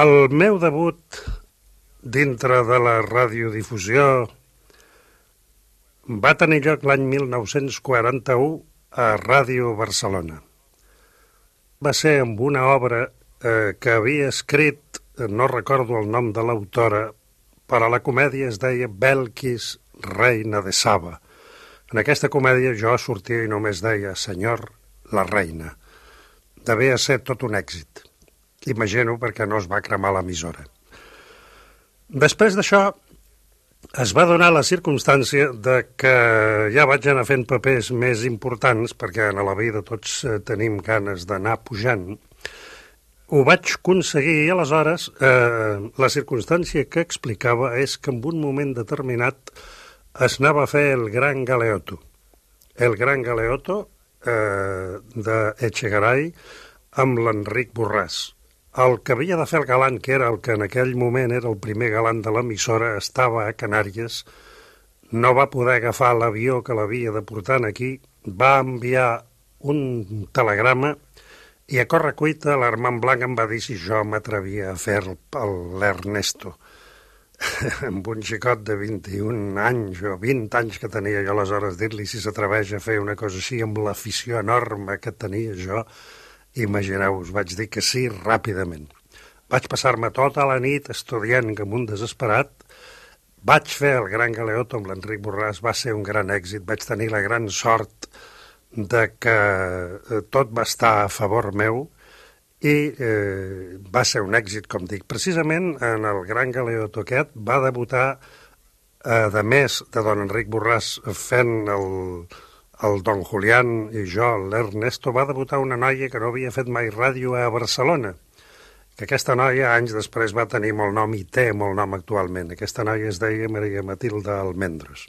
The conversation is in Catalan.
El meu debut dintre de la radiodifusió va tenir lloc l'any 1941 a Ràdio Barcelona. Va ser amb una obra que havia escrit, no recordo el nom de l'autora, però la comèdia es deia Belkis, reina de Saba. En aquesta comèdia jo sortia i només deia senyor, la reina. Devia ser tot un èxit. Imagino perquè no es va cremar l'emissora. Després d'això es va donar la circumstància de que ja vaig anar fent papers més importants, perquè a la vida tots tenim ganes d'anar pujant. Ho vaig aconseguir i aleshores la circumstància que explicava és que en un moment determinat es anava a fer el Gran Galeotto. El Gran Galeotto d'Echegaray amb l'Enric Borràs. El que havia de fer el galant, que era el que en aquell moment era el primer galant de l'emissora, estava a Canàries, no va poder agafar l'avió que l'havia de portar aquí, va enviar un telegrama i a correcuita l'Armand Blanc em va dir si jo m'atrevia a fer l'Ernesto. Amb un xicot de 21 anys o 20 anys que tenia jo aleshores, dir-li si s'atreveix a fer una cosa així amb l'afició enorme que tenia jo, imagineu-vos, vaig dir que sí ràpidament. Vaig passar-me tota la nit estudiant com un desesperat, vaig fer el Gran Galeotto amb l'Enric Borràs, va ser un gran èxit, vaig tenir la gran sort de que tot va estar a favor meu i va ser un èxit, com dic. Precisament en el Gran Galeotto aquest va debutar, a més de don Enric Borràs fent el Don Julián i jo, l'Ernesto, va debutar una noia que no havia fet mai ràdio a Barcelona, que aquesta noia anys després va tenir molt nom i té molt nom actualment. Aquesta noia es deia Maria Matilde Almendros.